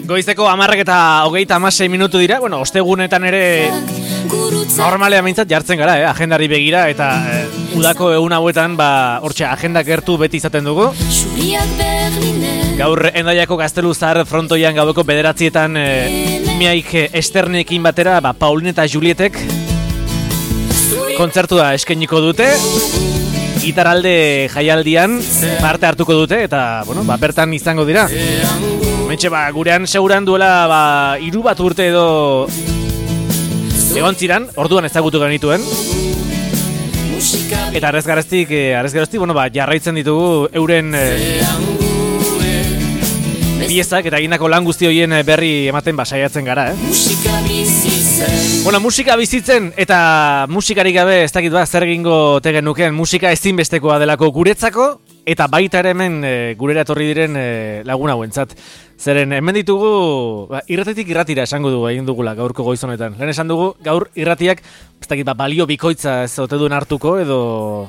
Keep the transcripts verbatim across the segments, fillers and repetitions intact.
Goizeko hamarrak eta hogeita hamasei minutu dira, bueno, ostegunetan ere normalea mintzat jartzen gara, eh? Agendari begira, eta eh, udako egun hauetan, ba, hortxe, agenda gertu beti izaten dugu. Gaur Hendaiako Gaztelu Zahar frontoian gaueko bederatzietan eh, miaik esternekin batera, ba, Paulin eta Julietek kontzertua eskainiko dute. Gitaralde jaialdian parte hartuko dute eta, bueno, ba, bertan izango dira. Mentxe, ba, gurean seguran duela, ba, hiru bat urte edo egon ziran, orduan ezagutu genituen. Eta arrez gareztik, arrez gareztik, bueno, ba, jarraitzen ditugu euren eh, piezak eta egindako lan guzti horien berri ematen basaiatzen gara, eh? Bueno, musika bizitzen eta musikarik gabe ez dakit ba zer egingo tegen nukeen, musika ezinbestekoa delako guretzako eta baita ere hemen e, gurera etorri diren e, lagun hauentzat. Zeren hemen ditugu ba, irratetik irratira esango dugu egin dugula gaurko goiz honetan. Lehen esan dugu gaur irratiak ez dakit ba balio bikoitza ez ote duen hartuko edo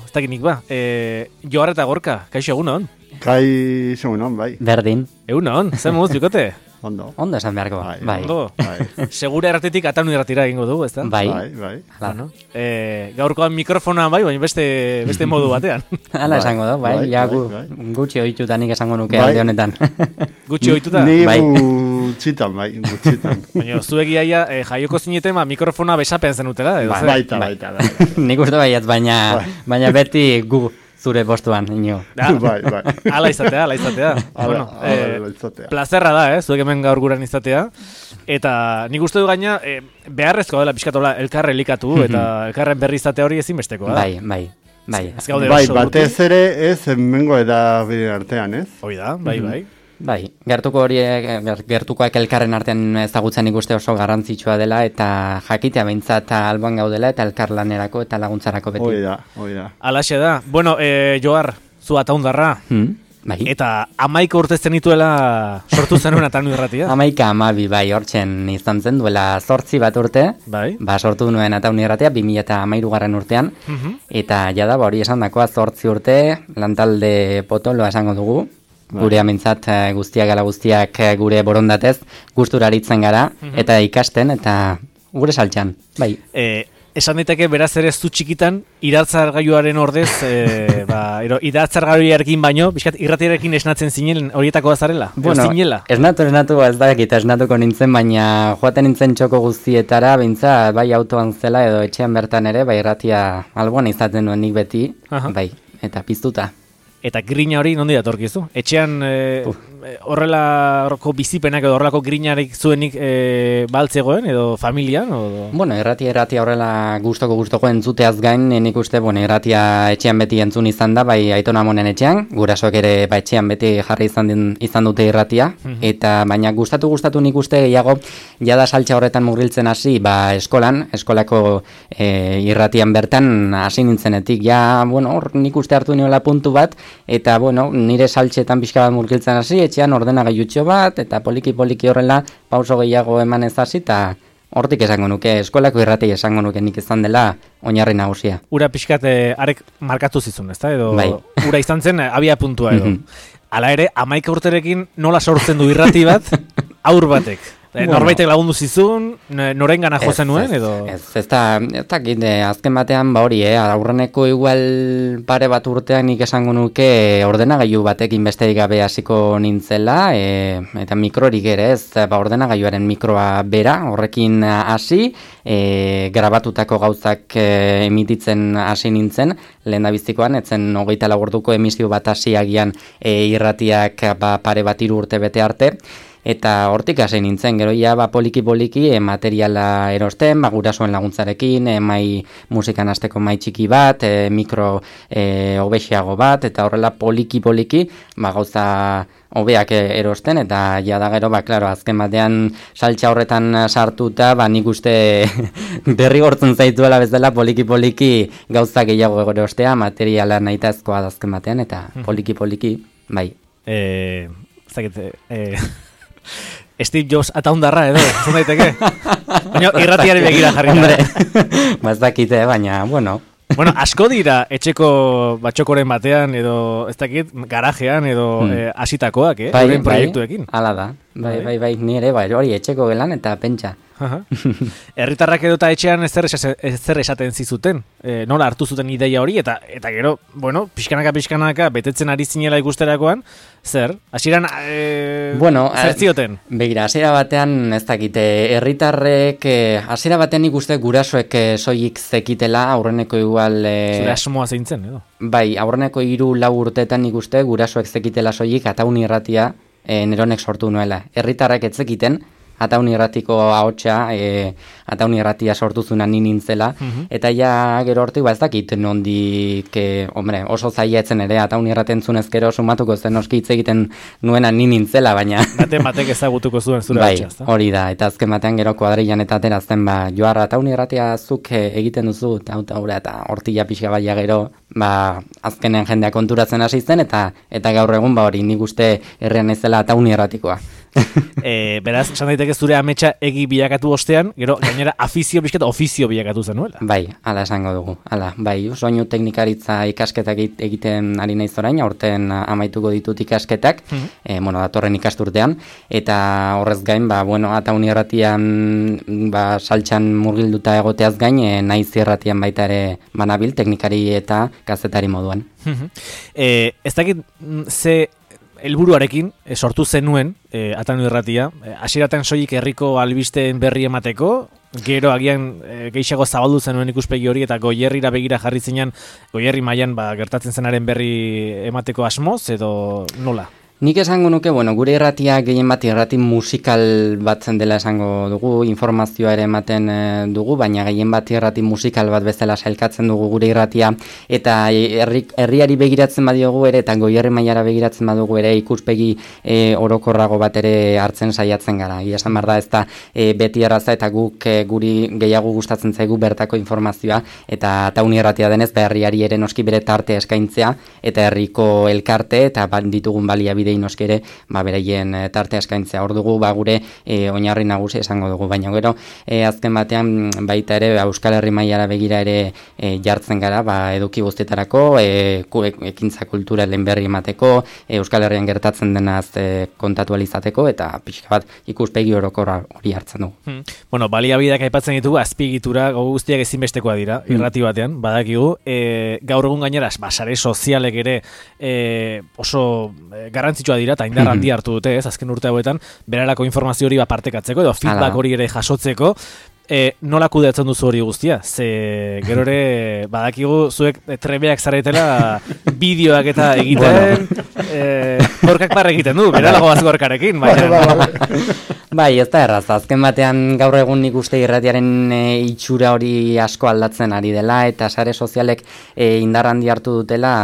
ez dakit nik ba. E, Johar eta Gorka, kaixo egun hon? Kaixo egun hon, bai. Berdin. Egun hon, zer moduz bikote? Ondo. Ondo esan beharko. Bai. Bai. Ondo. Bai. Segura erratetik ataun irratira egingo dugu, ezta? Bai. Bai, bai. Bueno, eh, gaurkoan mikrofonoan bai, baina beste, beste modu batean. Hala Bai. esango da, bai. Bai, Ja, bai, gu, bai. gutxi ohituta nik esango nuke Bai. alde honetan. Gutxi ohituta. Ni Bai. gutxitan, bai, gutxitan. Baina, zuek iaia eh, jaioko zineten, ba, mikrofona besapean zenutela, edo Bai. zer? Baita, baita, baita. Nik uste baiat, baina, Bai. baina beti gu zure postuan, ino. Da, Bai, bai. ala izatea, ala izatea. Ala, bueno, ala, eh, izatea. plazerra da, eh, zuek hemen gaur guran izatea. Eta nik uste du gaina, eh, beharrezkoa dela pixkatola elkarre elikatu, eta elkarren berri izatea hori ezinbestekoa da. Bai, bai, bai. Ez gaude Bai, oso batez urruti. ere ez hemengo edabide artean, ez? Hoi da, bai, bai. Bai, gertuko horiek, ger- gertukoak elkarren artean ezagutzen ikuste oso garrantzitsua dela eta jakitea behintzat alboan gaudela eta elkarlanerako eta laguntzarako beti. Hoi da, hoi da. Alaxe da. Bueno, eh, Johar, zu ataundarra. Hmm? Bai. Eta amaika urte zenituela sortu zenuen atanu irratia. Amaika amabi bai hortzen izan zen duela zortzi bat urte, Bai. ba sortu nuen ataun irratia bi mila eta hamairu garren urtean, Mhm. eta jada ba hori esan dakoa zortzi urte, lantalde potoloa esango dugu, gure amintzat eh, guztiak ala guztiak eh, gure borondatez, gustura aritzen gara, eta ikasten, eta gure saltxan, bai. Eh, esan daiteke beraz ere zu txikitan iratzargailuaren ordez, eh, ba, ero, iratzargailuarekin baino, bizkat irratiarekin esnatzen zinen horietako azarela, Bueno, edo zinela. esnatu, esnatu, ez dakit, esnatuko nintzen, baina joaten nintzen txoko guztietara, bintza, bai autoan zela edo etxean bertan ere, bai irratia alboan izaten duen nik beti, Aha. bai, eta piztuta. Eta grina hori nondi datorkizu? Etxean eh, horrelako bizipenak edo horrelako grinarik zuenik eh, baltzegoen edo familian? Edo... Bueno, irratia irratia horrela gustoko gustoko entzuteaz gain, nik uste, bueno, irratia etxean beti entzun izan da, bai Aiton Amonen etxean, gurasoek ere ba etxean beti jarri izan, din, izan dute irratia, eta baina gustatu gustatu nik uste gehiago jada saltza horretan murgiltzen hasi, ba eskolan, eskolako e, irratian bertan hasi nintzenetik, ja, bueno, hor nik uste hartu niola puntu bat, eta, bueno, nire saltxetan pixka bat murgiltzen hasi, etxean ordenagailutxo bat, eta poliki-poliki horrela pauso gehiago eman ez hasi, eta hortik esango nuke, eskolako irratei esango nuke nik izan dela oinarri nagusia. Ura pixkat eh, arek markatu zizun, ezta? Edo Bai. ura izan zen eh, abia puntua edo. Mhm. Hala ere, amaika urterekin nola sortzen du irrati bat aur batek? Eh, Bueno. Norbaitek lagundu zizun, n- norengana jo zenuen, edo... Ez, ez da, ez dakit, eh, azken batean, ba hori, eh, aurreneko igual pare bat urtean nik esango nuke ordenagailu batekin besterik gabe hasiko nintzela, eh, eta mikrorik ere ez, ba ordenagailuaren mikroa bera, horrekin eh, hasi, eh, grabatutako gauzak eh, emititzen hasi nintzen, lehen da bizikoan, etzen hogeita lau orduko emisio bat hasi agian eh, irratiak ba, pare bat hiru urte bete arte, eta hortik hasi nintzen, gero ja ba, poliki-poliki e, materiala erosten, ba, gurasoen laguntzarekin, e, mai musikan hasteko mai txiki bat, e, mikro e, hobexiago bat, eta horrela poliki-poliki ba, gauza hobeak erosten, eta ja da gero, ba, klaro, azken batean saltxa horretan sartuta, ba, nik uste berri gortzen zaituela bezala poliki-poliki gauza gehiago erostea, materiala nahitazkoa da azken batean, eta poliki-poliki, bai. Eh, zakit, eh, Steve Jobs ataundarra edo, zon daiteke? Baina irratiari begira jarri Hombre, da. ba ez dakite, baina, bueno. Bueno, asko dira etxeko batxokoren batean edo ez dakit garajean edo hmm. eh, asitakoak, eh? Bai, Euren bai, proiektuekin. Hala da. Bai, bai, bai, ni ere, bai, hori etxeko gelan eta pentsa. Herritarrak edo eta etxean ez zer esaten zizuten, e, nola hartu zuten ideia hori, eta eta gero, bueno, pixkanaka pixkanaka betetzen ari zinela ikusterakoan, zer? Hasieran e, bueno, zer zioten? Begira, hasiera batean ez dakite, herritarrek, hasiera e, batean ikuste gurasoek e, soilik zekitela, aurreneko igual... E, Zure asmoa zeintzen, edo? Bai, aurreneko hiru lau urteetan ikuste gurasoek zekitela soilik, Ataun irratia e, neronek sortu nuela. Herritarrek ez zekiten, Ataun irratiko ahotsa, e, Ataun irratia sortu zuna ni nintzela, uh-huh. eta ja gero hortik ba ez dakit nondik, e, hombre, oso zaila etzen ere, Ataun irraten zunez gero sumatuko zen oski hitz egiten nuena ni nintzela, baina... Baten batek ezagutuko zuen zure bai, ahotsa, ezta? Hori da, eta azken batean gero kuadrilan eta aterazten, ba, Joar, Ataun irratia zuk egiten duzu, eta eta hortila pixka baia gero, ba, azkenean jendea konturatzen hasi zen, eta eta gaur egun, ba, hori, nik uste herrian ezela Ataun irratikoa. e, beraz, esan daiteke zure ametsa egi bilakatu ostean, gero gainera afizio bizkat ofizio bilakatu zenuela. Bai, hala esango dugu. Hala, bai, soinu teknikaritza ikasketak egiten ari naiz orain, aurten amaituko ditut ikasketak, mm-hmm. e, bueno, datorren ikasturtean, eta horrez gain, ba, bueno, Ataun irratian, ba, saltxan murgilduta egoteaz gain, e, naiz irratian baita ere banabil, teknikari eta kazetari moduan. Mm-hmm. e, ez dakit ze helburuarekin e, sortu zenuen e, Ataun irratia, hasieraten e, soilik herriko albisteen berri emateko, gero agian e, gehiago zabaldu zenuen ikuspegi hori eta Goierrira begira jarri zinean, Goierri mailan ba, gertatzen zenaren berri emateko asmoz edo nola? Nik esango nuke, bueno, gure irratia gehien bat irrati musikal batzen dela esango dugu, informazioa ere ematen e, dugu, baina gehien bat irrati musikal bat bezala sailkatzen dugu gure irratia, eta herri, herriari begiratzen badiogu ere, eta Goierri mailara begiratzen badugu ere, ikuspegi e, orokorrago bat ere hartzen saiatzen gara. Ia esan behar da, ez da e, beti erraza eta guk e, guri gehiago gustatzen zaigu bertako informazioa, eta Ataun irratia denez, ba, herriari ere noski bere tarte eskaintzea, eta herriko elkarte, eta ditugun baliabide noski ere, ba, beraien e, tarte eskaintzea. Hor dugu, ba, gure e, oinarri nagusi esango dugu, baina gero e, azken batean baita ere ba, Euskal Herri mailara begira ere e, jartzen gara, ba, eduki guztietarako, e, ekintza kulturalen berri emateko, e, Euskal Herrian gertatzen denaz e, kontatu alizateko, eta pixka bat ikuspegi orokorra hori hartzen dugu. Hmm. Bueno, baliabideak aipatzen ditugu, azpiegitura guztiak ezinbestekoa dira, hmm. irrati batean, badakigu, e, gaur egun gainera, ba, sare sozialek ere e, oso e, garrantzitsua dira, eta indar handia hartu dute, ez, azken urte hauetan, berarako informazio hori partekatzeko, edo feedback hori ere jasotzeko, e, nola kudeatzen duzu hori guztia? Ze gero ere, badakigu, zuek trebeak zaretela bideoak eta egiten, e, gorkak barra egiten du, beralago az gorkarekin, baina... Bai, ez da erraz, azken batean gaur egun nik uste irratiaren e, itxura hori asko aldatzen ari dela, eta sare sozialek e, indar handi hartu dutela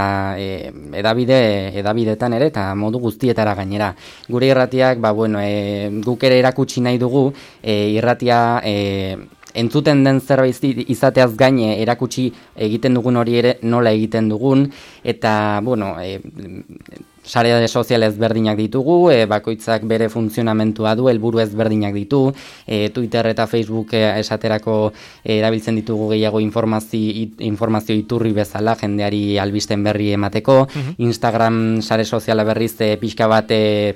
e, edabide, edabidetan ere, eta modu guztietara gainera. Gure irratiak, ba, bueno, e, guk ere erakutsi nahi dugu, e, irratia... E, entzuten den zerbait izateaz gaine erakutsi egiten dugun hori ere nola egiten dugun, eta, bueno, e, sare sozial ezberdinak ditugu, e, bakoitzak bere funtzionamentua du, helburu ezberdinak ditu, e, Twitter eta Facebook e, esaterako e, erabiltzen ditugu gehiago informazio, informazio iturri bezala, jendeari albisten berri emateko, uh-huh. Instagram sare soziala berriz e, pixka bat... E,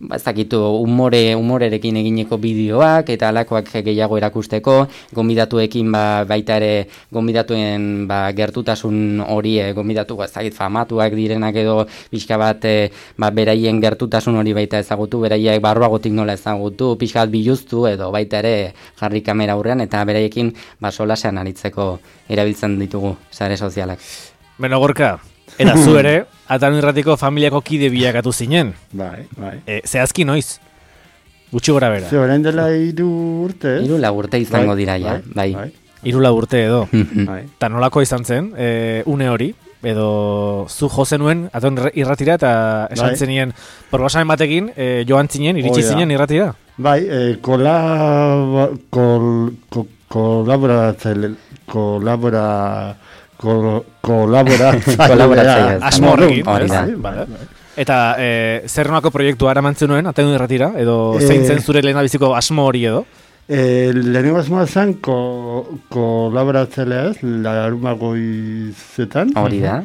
ba, ez dakitu, umore, umorerekin egineko bideoak eta alakoak gehiago erakusteko, gonbidatuekin ba, baita ere gonbidatuen ba, gertutasun hori, e, gonbidatu ez dakit famatuak direnak edo pixka bat e, ba, beraien gertutasun hori baita ezagutu, beraiek barruagotik nola ezagutu, pixka bat biluztu edo baita ere jarri kamera aurrean eta beraiekin ba, solasean aritzeko erabiltzen ditugu sare sozialak. Beno, Gorka, eta zu ere, Ataun irratiko familiako kide bilakatu zinen. Bai, bai. E, zehazki noiz? Gutxi gora bera. Ze orain dela hiru urte, ez? Hiru lau urte izango dira, ja, bai. bai. Hiru lau urte edo. Bai. Ta nolako izan zen, e, une hori, edo zu jo zenuen Ataun irratira eta esan zenien proposamen batekin e, joan zinen, iritsi Oida. zinen irratira? Bai, e, kola... Kol, ko, kolaboratzaile... Kolabora... Kol, kolaboratzaile... Asmo horrekin, hori ez? da. Vale. Eta e, zer nolako proiektua eramantzen nuen Ataun irratira? Edo zein zen zure lehendabiziko asmo hori edo? E, lehenengo asmoa zen, ko, kolaboratzelea ez, larumagoizetan. Hori da.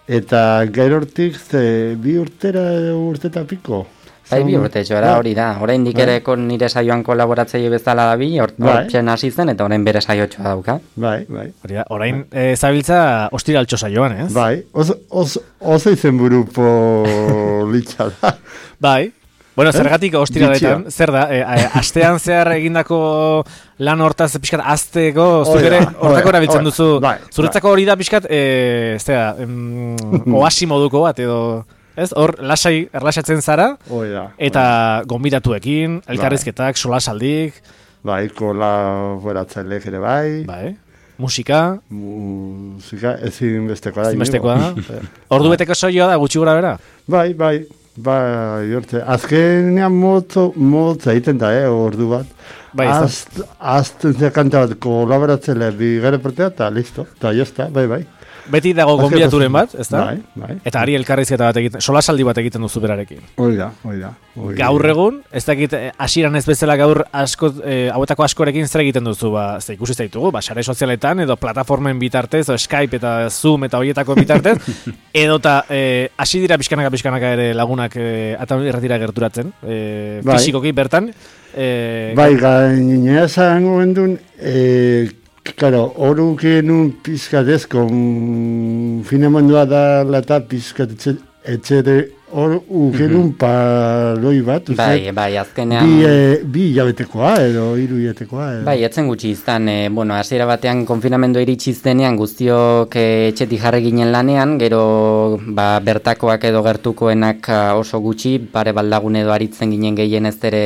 Eta gero hortik, ze, bi urtera urteta piko. Bai, bi urte txora, hori da. Orain dikereko nire saioan kolaboratzaile bezala da bi, hortzen hasi zen, eta orain bere saiotxoa dauka. Bai, bai. Hori da, orain e, zabiltza ostiraltxo saioan, ez? Bai, oso, oso, oso izen buru politxa da. Bai. Bueno, zergatik ostiraletan, zer da, e, e, astean zehar egindako lan hortaz pixkat azteko, zuk ere hortako erabiltzen duzu. Bai, zuretzako hori da pixkat, e, ez da, mm, oasi moduko bat, edo... Ez, hor, lasai, erlaxatzen zara, Oida, eta gonbidatuekin, elkarrizketak, solasaldik. Bai, kolaboratzailek ere bai. Bai, musika. Musika, ezin bestekoa da. Ezin bestekoa da. Ordu beteko soioa da, gutxi gora bera? Bai, bai, bai, jorte. Azkenean motzo, motza egiten da, eh, ordu bat. Bai, Azt, azten ze kanta bat kolaboratzaile bigare partea, eta listo, eta jozta, bai, bai. Beti dago gonbidaturen bat, ez da? Bai, bai. Eta ari elkarrizketa bat egiten, solasaldi bat egiten duzu berarekin. Hoi da, hoi da. Gaur egun, ez dakit, hasieran ez bezala gaur asko, e, hauetako askorekin zer egiten duzu, ba, ze ikusi zaitugu, ba, sare sozialetan, edo plataformen bitartez, edo Skype eta Zoom eta horietako bitartez, edo eta e, hasi dira pixkanaka-pixkanaka ere lagunak e, eta irratira gerturatzen, e, bai. Fisikoki bertan. E, bai, gainea zango gendun, e, Claro, horu genuen pizkatez, konfinamendua da lata pizkat etxere, horu genuen paroi bat. Bai, bai, azkenean... Bi, e, bi hilabetekoa edo hiru hilabetekoa. Edo. Bai, etzen gutxi izan, e, bueno, hasiera batean konfinamendu iritsi iztenean guztiok e, etxetik jarri ginen lanean, gero ba, bertakoak edo gertukoenak oso gutxi, pare baldagun edo aritzen ginen gehien ez ere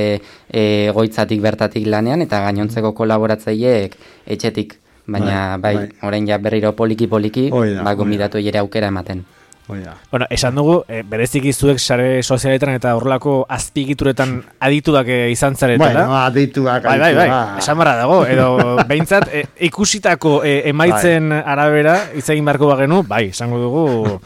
e, goitzatik bertatik lanean, eta gainontzeko kolaboratzaileek etxetik, baina bai, bai, bai. Orain ja berriro poliki-poliki, ba, gomidatu jere aukera ematen. Bueno, esan dugu, e, bereziki zuek sare sozialetan eta horrelako azpigituretan adituak e, izan zaretela. Bueno, adituak, bai, bai, bai, esan barra dago, edo behintzat e, ikusitako e, emaitzen bai. Arabera, itzegin beharko bagenu, bai, esango dugu,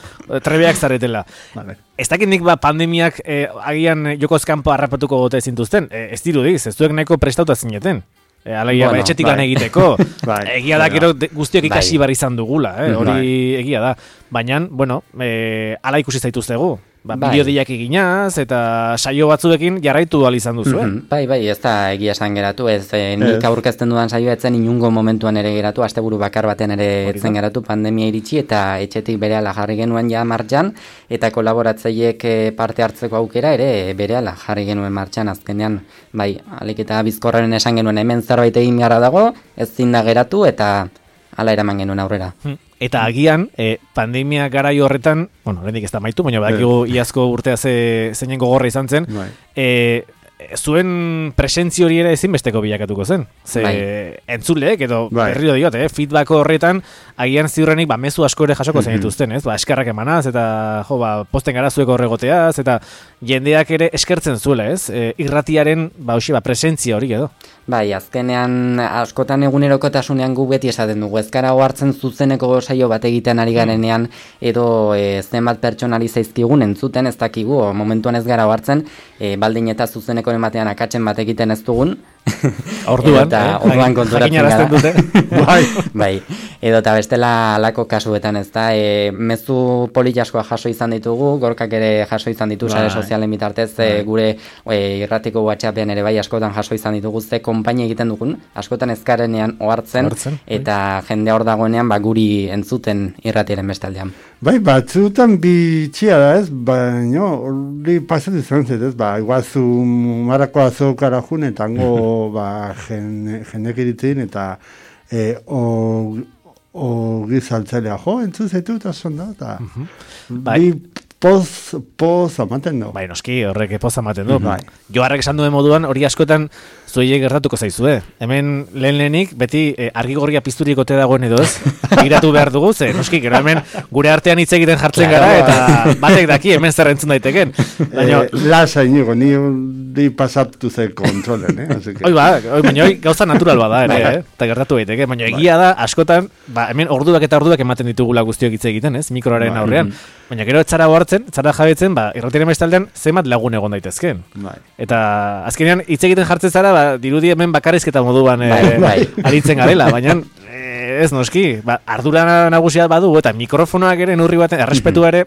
trebeak zaretela. Vale. Ez dakit nik ba, pandemiak e, agian jokoz kanpo harrapatuko gote zintuzten, e, ez dirudiz, ez zuek nahiko prestauta zineten. E, Alaia, bueno, etxetik lan bai. Egiteko. Bai, egia da, gero guztiok ikasi bai. Bar izan dugula, eh? Hori bai. Egia da. Baina, bueno, e, ala ikusi zaituztegu. Ba, bai. Bideodiak eginaz, eta saio batzuekin jarraitu ahal izan duzu, eh? Mm-hmm. Bai, bai, ez da egia esan geratu, ez e, nik aurkezten dudan saioa etzen inungo momentuan ere geratu, asteburu bakar batean ere etzen geratu pandemia iritsi, eta etxetik berehala jarri genuen ja martxan, eta kolaboratzaileek parte hartzeko aukera ere berehala jarri genuen martxan azkenean, bai, alik eta bizkorraren esan genuen hemen zerbait egin gara dago, ez zinda geratu, eta hala eraman genuen aurrera. Hmm. Eta agian, e, pandemia garai horretan, bueno, lehendik ez da maitu, baina badakigu iazko urtea ze, zeinen gogorra izan zen, e, zuen presentzio hori ere ezinbesteko bilakatuko zen. Ze bai. Entzuleek, edo bai. Berriro diot, eh, feedback horretan, agian ziurrenik, ba, mezu asko ere jasoko zen dituzten, ez? Ba, eskerrak emanaz, eta, jo, ba, posten gara zueko horregoteaz, eta jendeak ere eskertzen zuela, ez? E, irratiaren, ba, hoxe, ba, presentzia hori edo. Bai, azkenean askotan egunerokotasunean gu beti esaten dugu. Ezkara hartzen zuzeneko saio bat egiten ari garenean edo e, zenbat pertsonari zaizkigun entzuten ez dakigu, momentuan ez gara hartzen, e, baldin eta zuzeneko ematean akatzen bat egiten ez dugun. Orduan, eta eh? orduan konturatzen gara. Dute. bai. bai. Edo eta bestela alako kasuetan ez da, e, mezu politiaskoa jaso izan ditugu, gorkak ere jaso izan ditu sare sozialen bitartez, e, gure e, irratiko WhatsAppean ere bai askotan jaso izan ditugu, ze konpainia egiten dugun, askotan ezkarenean ohartzen, eta bai. Jende hor dagoenean ba, guri entzuten irratiaren bestaldean. Bai, batzutan bitxia da ez, baina hori pasatu izan zet ez, ba, iguazu marako azokara jun, eta hango ba, jendek iritzen, eta e, o, o gizaltzailea, jo, entzun zaitu eta zonda, eta uh-huh. bai. Bi poz, poz amaten du. Bai, noski, horrek poz amaten du. Bai. Joarrek esan duen moduan, hori askotan zuei gertatuko zaizue. Hemen lehen lehenik, beti eh, argigorria pizturik ote dagoen edo ez, begiratu behar dugu, ze, noski, gero hemen gure artean hitz egiten jartzen gara, eta batek daki hemen zer entzun daiteken. Baina, eh, lasa inigo, ni di pasatu ze kontrolen, eh? Así que... Oi, ba, oi, baina oi, gauza natural bada, ere, eh? Eta gertatu daiteke, baina egia da, askotan, ba, hemen orduak eta orduak ematen ditugula guztiok hitz egiten, ez? Mikroaren aurrean. Baina gero etzara hartzen, etzara jabetzen, ba, irratiaren bestaldean, zenbat lagun egon daitezken. Eta azkenean, hitz egiten jartzen zara, ba, dirudi hemen bakarrizketa moduan eh, aritzen garela, baina... Ez noski, ba, ardura nagusia badu eta mikrofonoak ere neurri baten errespetua ere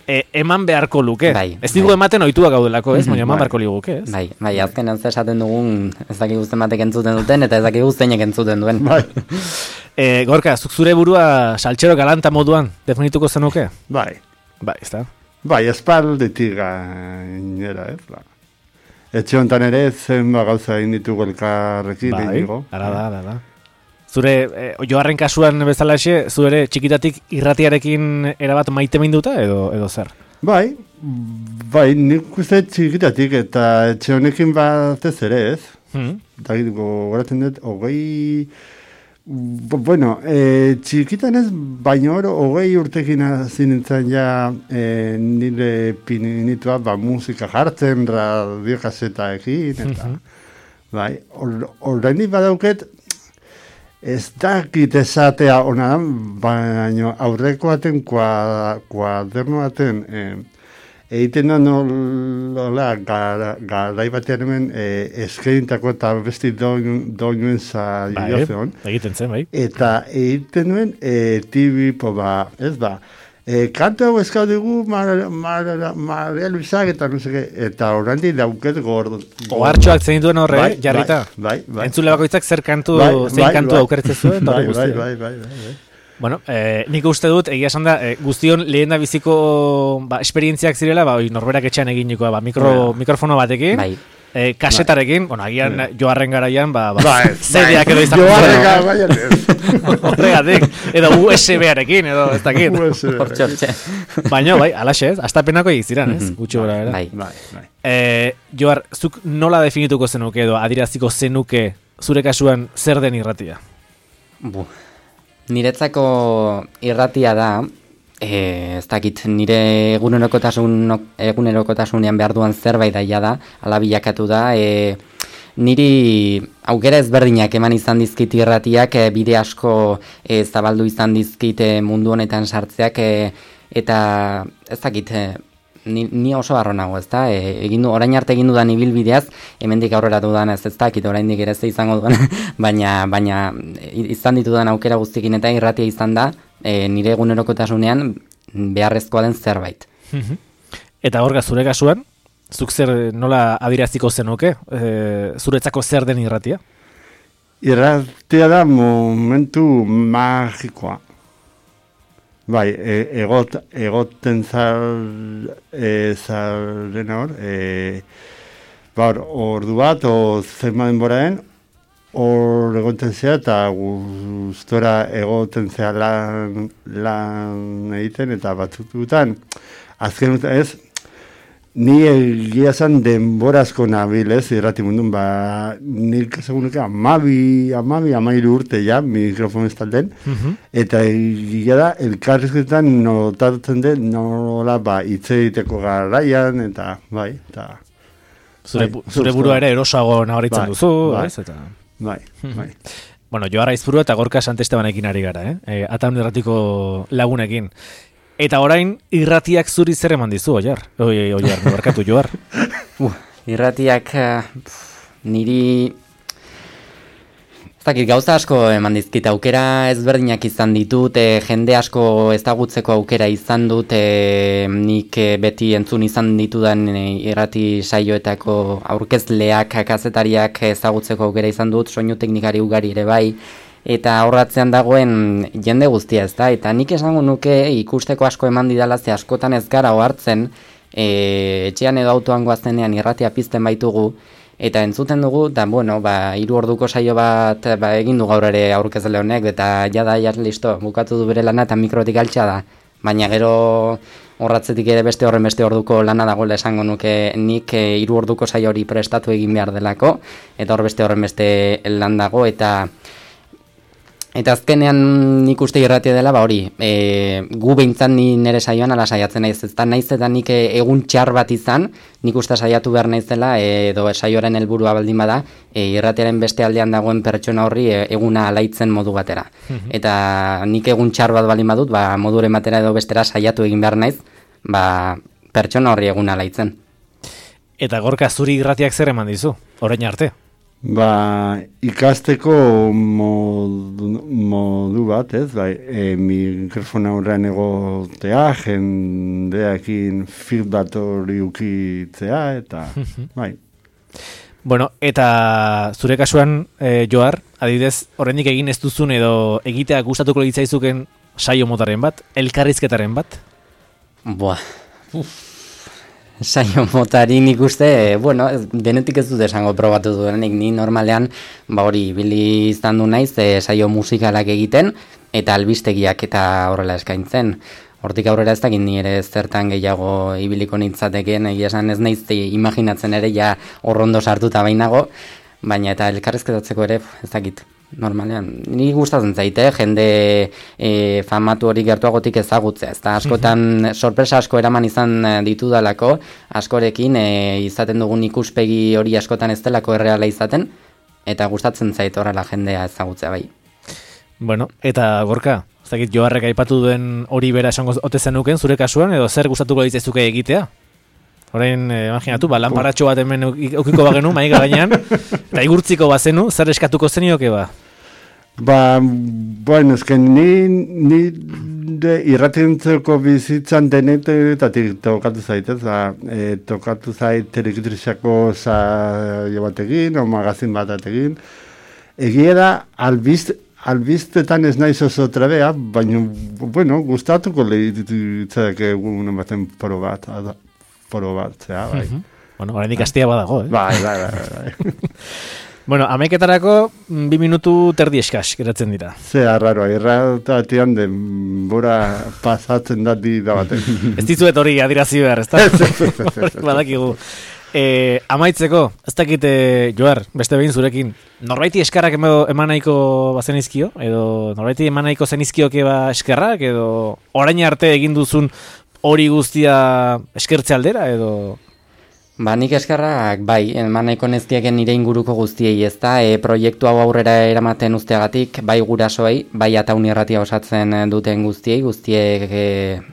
e, eman beharko luke. Bai, ez digu bai. Ematen ohitua gaudelako, ez? Baina eman beharko liguke, ez? Bai, bai, azkenan esaten dugun ez dakik guztien batek entzuten duten eta ez dakik guztienek entzuten duen. Bai. e, Gorka, zuk zure burua saltxero galanta moduan definituko zenuke? Bai. Bai, ez da? Bai, espaldetik gainera, ez? Ba. Etxe honetan ere zen gauza egin ditugu elkarrekin. Bai, ara da, ara da. Zure, eh, Joarren kasuan bezalaxe, zu ere txikitatik irratiarekin erabat maite minduta edo, edo zer? Bai, bai, nik uste txikitatik eta etxe honekin batez ere ez. Hmm. Eta gogoratzen dut, hogei... Bueno, e, txikitan ez, baina hor, hogei urtekin hasi nintzen ja e, nire pinitua, ba, musika jartzen, radio kasetaekin, eta... Hmm. Bai, orain or, badauket... Ez dakit esatea ona, baina aurreko baten, kuaderno baten, egiten da nola, garai batean hemen eskerintako eta besti doinuen zaiozeon. Bai, egiten zen, bai. Eta egiten nuen, tibipo ba, ez ba, E, kanto hau eskau dugu Maria Luisak eta no seke, eta horrendi dauket gordo. Ohartxoak zein duen horre, bai, jarrita. Bai, bai. Entzule bakoitzak zer kantu, bai, zein bai, kantu bai, aukeretzen zuen. Bai, bai, bai, bai, bai, bai. Bueno, eh, nik uste dut, egia esan da, eh, guztion lehen da biziko ba, esperientziak zirela, ba, oi, norberak etxean eginikoa, ba, mikro, bai. mikrofono batekin. Bai. Eh, kasetarekin, bai. Bueno, agian bai. Joarren garaian, ba, ba, bai, zedeak edo izan. Joarren garaian ez. Horregatik, edo U S B-arekin, edo ez dakit. Baina, bai, alaxe ez, astapenako egiziran, ez? Gutxo bera, era. Bai, bai, bai. Eh, Joar, zuk nola definituko zenuke edo adiraziko zenuke zure kasuan zer den irratia? Bu, niretzako irratia da, E, ez dakit, nire egunerokotasun, egunerokotasunean behar duan zerbait daia da, ala bilakatu da, e, niri aukera ezberdinak eman izan dizkit irratiak, e, bide asko e, zabaldu izan dizkit e, mundu honetan sartzeak, e, eta ez dakit, e, ni, ni oso barro nago, ez da, e, egin du, orain arte egin dudan ibilbideaz, hemendik aurrera dudan ez ez dakit, oraindik ere ze izango dudan, baina, baina izan ditudan aukera guztikin eta irratia izan da, E, nire egunerokotasunean beharrezkoa den zerbait. Eta horga zure kasuan, zuk zer nola adiraziko zenuke, e, zuretzako zer den irratia? Irratia da momentu magikoa. Bai, e, egot, egoten zar, e, zaren hor, e, bar, ordu bat, o zenba denboraen, hor egoten zea eta gustora egoten zea lan, lan egiten eta batzututan azken utan ez ni egia zan denborazko nabil ez irrati mundun ba nik segunuke amabi amabi amairu urte ja mikrofon ez talden uh-huh. Eta egia da elkarrizketan notatzen den nola ba hitz egiteko garaian eta bai eta zure, bai, zure burua ere erosago nabaritzen bai, duzu bai. Ez, eta Bai, bai. Bueno, Joarra Izpuru eta Gorka Santestebanekin ari gara, eh? E, Ataun irratiko lagunekin. Eta orain, irratiak zuri zer eman dizu, Oiar? Oi, Oiar, barkatu, Joar. Uh, irratiak uh, niri... Ez dakit, gauza asko eman dizkit, aukera ezberdinak izan ditut, e, jende asko ezagutzeko aukera izan dut, e, nik e, beti entzun izan ditudan e, irrati saioetako aurkezleak, kazetariak ezagutzeko aukera izan dut, soinu teknikari ugari ere bai, eta aurratzean dagoen jende guztia ez da, eta nik esango nuke ikusteko asko eman didala, ze askotan ez gara ohartzen, e, etxean edo autoan goazenean irratia pizten baitugu, eta entzuten dugu, eta bueno, ba, hiru orduko saio bat ba, egin du gaur ere aurkezle honek, eta jada, ja, listo, bukatu du bere lana eta mikrotik altxa da. Baina gero horratzetik ere beste horren beste orduko lana dagoela esango nuke nik hiru orduko saio hori prestatu egin behar delako, eta hor beste horren beste lan dago, eta Eta azkenean nik uste irratia dela, ba hori, e, gu behintzat ni nire saioan ala saiatzen naiz, ez da naiz eta nik egun txar bat izan, nik uste saiatu behar naizela, edo saioaren helburua baldin bada, e, irratiaren beste aldean dagoen pertsona horri e, eguna alaitzen modu batera. Mm-hmm. Eta nik egun txar bat baldin badut, ba, moduren batera edo bestera saiatu egin behar naiz, ba, pertsona horri eguna alaitzen. Eta Gorka, zuri irratiak zer eman dizu, orain arte? Ba, ikasteko modu, modu bat, ez, bai, e, mikrofona horrean egotea, jendeakin feedback hori ukitzea, eta, bai. Bueno, eta zure kasuan, e, Joar, adibidez, horrendik egin ez duzun edo egitea gustatuko litzaizuken saio motaren bat, elkarrizketaren bat? Boa, uff. Saio motari nik uste, bueno, denetik ez dut esango probatu duenik, ni normalean, ba hori, bili izan du naiz, e, saio musikalak egiten, eta albistegiak eta horrela eskaintzen. Hortik aurrera ez dakit ni ere zertan gehiago ibiliko nintzateken, egia esan ez naiz imaginatzen ere, ja horrondo sartuta bainago, baina eta elkarrezketatzeko ere, ez dakit. Normalean, ni gustatzen zaite, jende e, famatu hori gertuagotik ezagutzea, ez da askotan sorpresa asko eraman izan ditudalako, askorekin e, izaten dugun ikuspegi hori askotan ez delako erreala izaten, eta gustatzen zait horrela jendea ezagutzea bai. Bueno, eta Gorka, ez dakit Joarrek aipatu duen hori bera esango ote zenuken zure kasuan, edo zer gustatuko litzaizuke egitea? Orain, eh, imaginatu, ba, lanparatxo bat hemen eukiko bagenu, maika gainean, eta igurtziko bazenu, zer eskatuko zenioke ba? Ba, bueno, esken ni, ni de irratientzeko bizitzan denetatik tokatu zaitez, ba, e, tokatu zait terekitrizako saio batekin, o magazin bat atekin. Egia da, albist, albiztetan ez naiz oso trabea, baina, bueno, gustatuko lehitzak egun baten poro bat, poro bat, zera, bai. Uh-huh. Bueno, orain ikastia badago, eh? Bai, bai, bai, bai. Bueno, amaiketarako bi minutu terdi eskas geratzen dira. Zea, raroa, irratatian denbora pasatzen da di da baten. Ez dizuet hori adirazi behar, ez da? Badakigu. E, amaitzeko, ez dakit, e, Joar, beste behin zurekin, norbaiti eskarrak eman nahiko bazenizkio, edo norbaiti eman nahiko zenizkioke ba eskerrak, edo orain arte egin duzun hori guztia eskertze aldera, edo... Ba, nik eskerrak, bai, eman nahiko nezkieken nire inguruko guztiei, ez da, e, proiektu hau aurrera eramaten usteagatik, bai gurasoei, bai ataun irratia osatzen duten guztiei, guztiek e,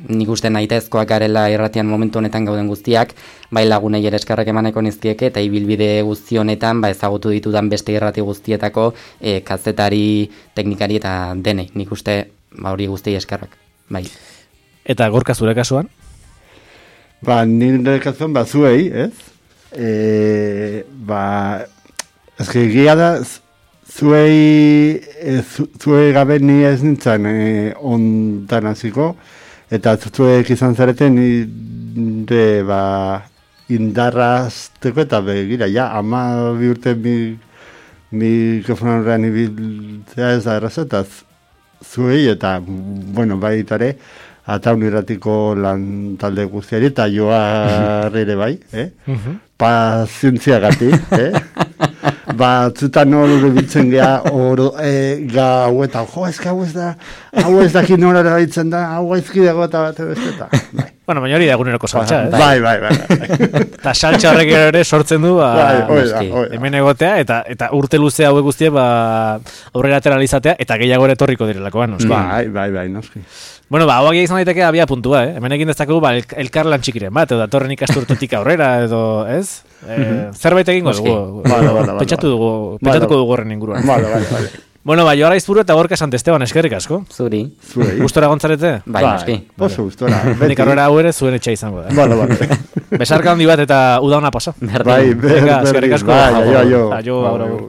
nik uste nahitezkoak garela irratian momentu honetan gauden guztiak, bai lagunei ere eskerrak eman nahiko nezkieke, eta ibilbide guzti honetan, ba, ezagutu ditudan beste irrati guztietako e, kazetari, teknikari eta denei, nik uste, ba, hori guztiei eskerrak, bai. Eta Gorka zure kasuan? Ba, nire kasuan, ba, zuei, ez? E, ba, ezke egia da, zuei, e, zu, zuei gabe ni ez nintzen e, ontan hasiko, eta zuek izan zareten nire, ba, indarrazteko eta begira, ja, ama bi urte mi, mikrofonan horrean ibiltzea ez da erraza, eta zuei, eta, bueno, baitare, ataun irratiko lan talde guztiari, eta Joarre ere bai, eh? Uh-huh. Pazientziagatik, eh? Batzutan hor biltzen geha, hor e, gau eta, jo, ez hau ez da, hau ez daki nora erabiltzen da, hau aizkidago eta bat beste eta, bai. Bueno, baina hori da eguneroko saltza, eh? Bai, bai, bai. Eta saltza horrek ere sortzen du, ba, bai, oida, oida. Hemen egotea, eta eta urte luze hauek guztie, ba, aurrera ateralizatea, eta gehiago ere etorriko direlakoan, noski. Bai, bai, bai, noski. Bueno, ba, hauak izan daiteke abia puntua, eh? Hemen egin dezakegu, ba, elkar lan txikiren bat, edo datorren ikasturtetik aurrera, edo, ez? Eh, zerbait egingo dugu, pentsatu dugu, pentsatuko dugu horren inguruan. Vale, vale, vale. Bueno, ba, Joar Aizpuru eta Gorka Santesteban, eskerrik asko. Zuri. Zuri. Gustora gontzarete? Bai, noski. Oso gustora. Nik arrera hau ere zuen etxea izango da. Vale, vale. Besarka handi bat eta uda ona pasa. Bai, eskerrik asko. Bai, aio, aio. Aio, aio.